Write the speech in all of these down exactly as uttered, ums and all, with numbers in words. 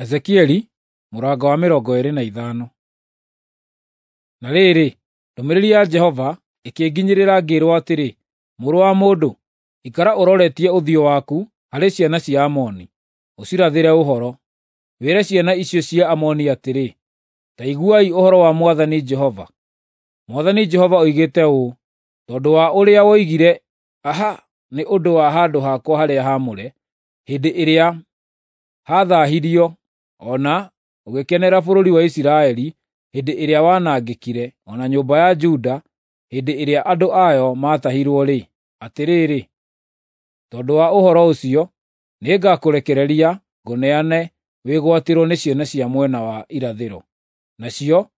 Ezekieli mũrango wa mĩrongo ĩĩrĩ na ithano. Na rĩrĩ, ndũmĩrĩri ya Jehova ĩkĩnginyĩrĩra ngĩĩrwo atĩrĩ, Mũrũ wa mũndũ, ikara ũroretie ũthiũ waku harĩ ciana cia Amoni, ũcirathĩre ũhoro. Wĩre ciana icio cia Amoni atĩrĩ, ‘Ta iguai ũhoro wa Mwathani Jehova. Mwathani Jehova oigĩte ũũ: Tondũ wa ũrĩa woigire, ‘Aha!’ nĩ ũndũ wa handũ hakwa harĩa haamũre, hĩndĩ ĩrĩa haathaahirio, o na ũgĩkenera bũrũri wa Isiraeli hĩndĩ ĩrĩa wanangĩkire, o na nyũmba ya Juda hĩndĩ ĩrĩa andũ ayo maatahirwo-rĩ, atĩrĩrĩ, tondũ wa ũhoro ũcio nĩngakũrekereria ngũneane wĩgwatĩrwo nĩ ciana cia mwena wa irathĩro. Nacio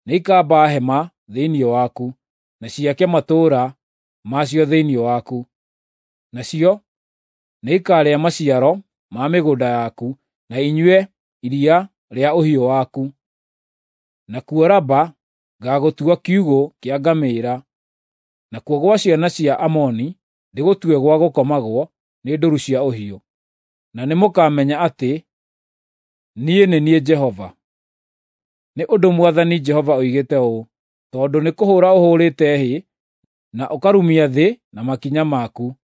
nĩikamba hema thĩinĩ waku, na ciake matũũra macio thĩinĩ waku. Nacio nĩikarĩa maciaro ma mĩgũnda yaku, na inyue iria rĩa ũhiũ waku. Nakuo Raba ngaagũtua kiugũ kĩa ngamĩĩra, nakuo gwa ciana cia Amoni ndĩgũtue gwa gũkomagwo nĩ ndũũru cia ũhiũ. Na nĩmũkamenya atĩ niĩ nĩ niĩ Jehova. Nĩ ũndũ Mwathani Jehova oigĩte ũũ: Tondũ nĩkũhũũra ũhũũrĩte hĩ na ũkarumia thĩ na makinya maku,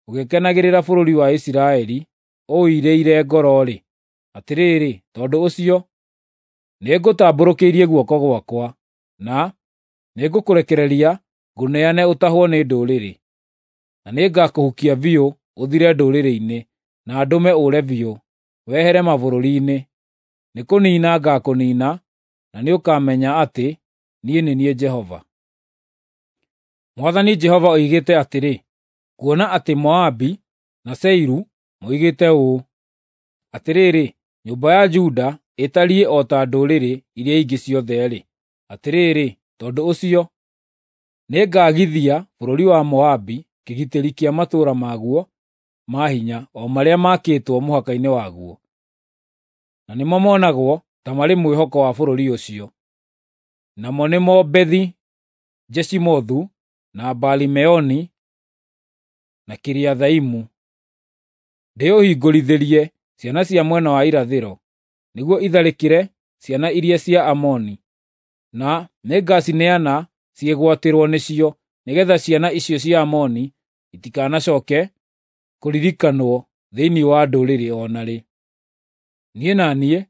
ũgĩkenagĩrĩra bũrũri wa Isiraeli ũũirĩire ngoro-rĩ, atĩrĩrĩ, tondũ ũcio nĩngũtambũrũkĩirie guoko gwakwa, na nĩngũkũrekereria ngũneane ũtahwo nĩ ndũrĩrĩ. Na nĩngakũhukia biũ ũthire ndũrĩrĩ-inĩ, na ndũme ũũre biũ, wehere mabũrũri-inĩ. Nĩkũniina ngaakũniina, na nĩũkamenya atĩ niĩ nĩ niĩ Jehova. Mwathani Jehova oigĩte atĩrĩ, kuona atĩ Moabi na Seiru moigĩte ũũ, ‘Atĩrĩrĩ, nyũmba ya Juda ĩtariĩ o ta ndũrĩrĩ iria ingĩ ciothe-rĩ,’ atĩrĩrĩ, tondũ ũcio nĩngagithia bũrũri wa Moabi kĩgitĩri kĩa matũũra maguo ma hinya, o marĩa maakĩtwo mũhaka-inĩ waguo, na nĩmo monagwo ta marĩ mwĩhoko wa bũrũri ũcio, namo nĩmo Bethi-Jeshimothu, na Baali-Meoni, na Kiriathaimu. Ndĩũhingũrithĩrie ciana cia mwena wa irathĩro, nĩguo itharĩkĩre ciana iria cia Amoni, na nĩngacineana ciĩgwatĩrwo nĩcio, nĩgeetha ciana icio cia Amoni itikanacooke kũririkanwo thĩinĩ wa ndũrĩrĩ o na rĩ. Niĩ na niĩ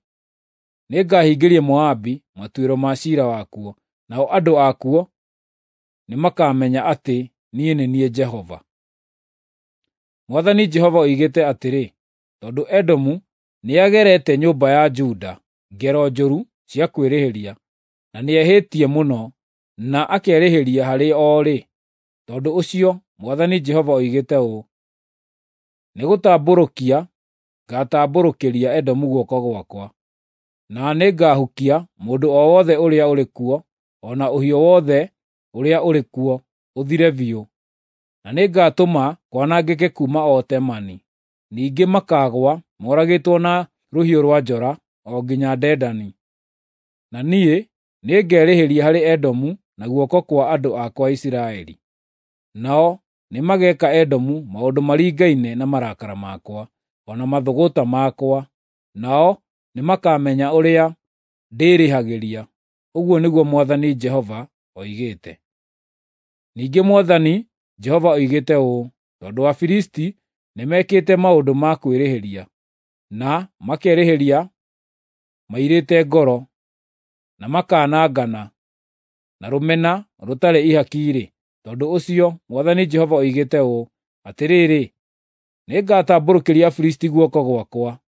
nĩngahingĩria Moabi matuĩro ma ciira wakuo, nao andũ akuo nĩmakamenya atĩ niĩ nĩ niĩ Jehova. Mwathani Jehova oigĩte atĩrĩ, tondũ Edomu nĩagerete nyũmba ya Juda ngero njũru cia kwĩrĩhĩria, na nĩehĩtie mũno na akerĩhĩria harĩ o-rĩ, tondũ ũcio Mwathani Jehova oigĩte ũũ: Nĩgũtambũrũkia ngaatambũrũkĩria Edomu guoko gwakwa, na nĩngahukia mũndũ o wothe ũrĩa ũrĩ kuo, o na ũhiũ wothe ũrĩa ũrĩ kuo, ũthire biũ, na nĩngatũma kwanangĩke kuuma o Temani. Ningĩ makaagũa moragĩtwo na rũhiũ rwa njora o nginya Dedani. Na niĩ nĩngerĩhĩria harĩ Edomu na guoko kwa andũ akwa Isiraeli. Nao nĩmageeka Edomu maũndũ maringaine na marakara makwa, o na mathũgũta makwa, nao nĩmakamenya ũrĩa ndĩĩrĩhagĩria. Ũguo nĩguo Mwathani Jehova oigĩte. Ningĩ Mwathani Jehova oigĩte ũũ: Tondũ Afilisti nĩmekĩte maũndũ ma kwĩrĩhĩria, na makerĩhĩria mairĩte ngoro, na makanangana na rũmena rũtarĩ ihaki-rĩ, tondũ ũcio Mwathani Jehova oigĩte ũũ: Atĩrĩrĩ, nĩngatambũrũkĩria Afilisti guoko gwakwa,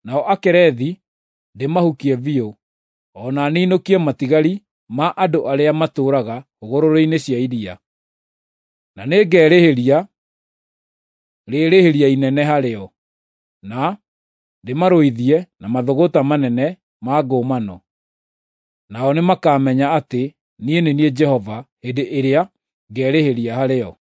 nao Akerethi ndĩmahukie biũ, o na ninũkie matigari ma andũ arĩa matũũraga hũgũrũrũ-inĩ cia iria. Na nĩngerĩhĩria rĩĩrĩhĩria inene harĩo, na ndĩmarũithie na mathũgũta manene ma ngũmano. Nao nĩmakamenya atĩ niĩ nĩ niĩ Jehova hĩndĩ ĩrĩa ngerĩhĩria harĩo.